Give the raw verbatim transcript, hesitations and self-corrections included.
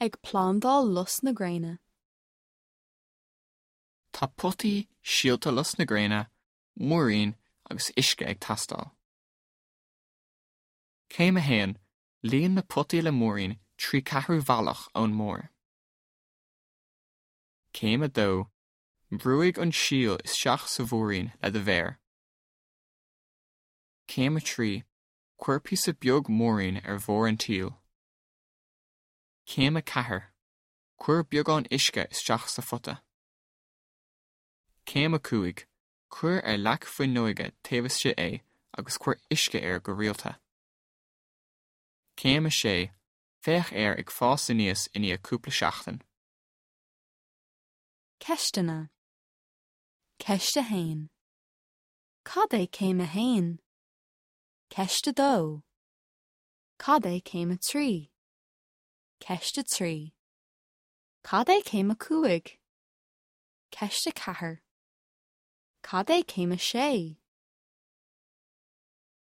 Ag plandáil lus na gréine. Tá potaí, síolta lus na gréine, múirín agus uisce ag teastáil. Céim a haon, líon na potaí le múirín trí ceathrú bealach ón mbarr. Céim a dó, brúigh an síol isteach sa mhúirín le do mhéar. Céim a trí, cuir píosa beag múirín ar bharr an tsíl. Céim a ceathair, cuir beagán uisce isteach sa phota. Céim a cúig, cuir ar leac fuinneoige taobh istigh é agus cuir uisce air go rialta. Céim a sé, féach air ag fás aníos i ndiaidh cúpla seachtain. Ceisteanna. Ceist a haon. Cad é céim a haon? Ceist a dó. Cad é céim a trí? Ceist a trí. Cad é céim a cúig? Ceist a ceathair. Cad é céim a sé?